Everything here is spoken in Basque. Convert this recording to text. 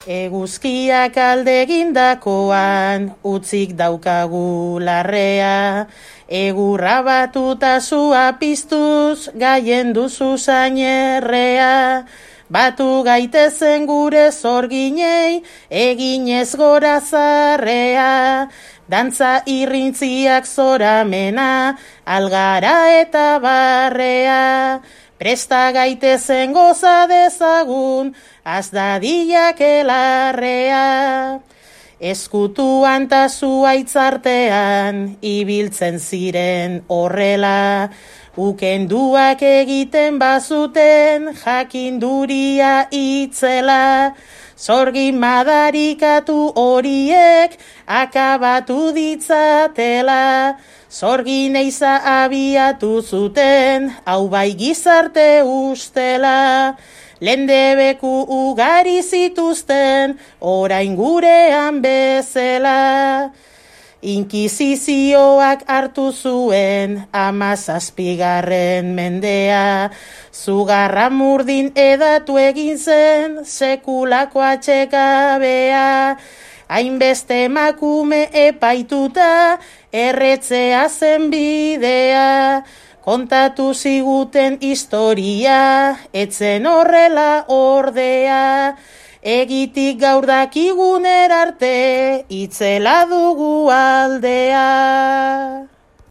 Eguzkiak alde egindakoan, utzik daukagu larrea, egurra batuta zua piztuz, gaien duzu zainerrea, batu gaitezen gure zorginei, eginez gora zarrea, dantza irrintziak zoramena, algara eta barrea, presta gaitezen goza dezagun, azdadiak elarrea. Eskutuan ta zuaitzartean, ibiltzen ziren horrela, ukenduak egiten bazuten, jakinduria itzela, zorgin madarikatu horiek, akabatu ditzatela, zorgin eiza abiatu zuten, hau bai gizarte ustela, lendebeku ugari zituzten, orain gurean bezala. Inkisizioak hartu zuen 17. mendea, zugarra murdin edatu egin zen sekulako atxekabea, hainbeste emakume epaituta erretzea zen bidea, kontatu ziguten historia, etzen horrela ordea, egitik gaur dakiguner arte, itzela dugu aldea.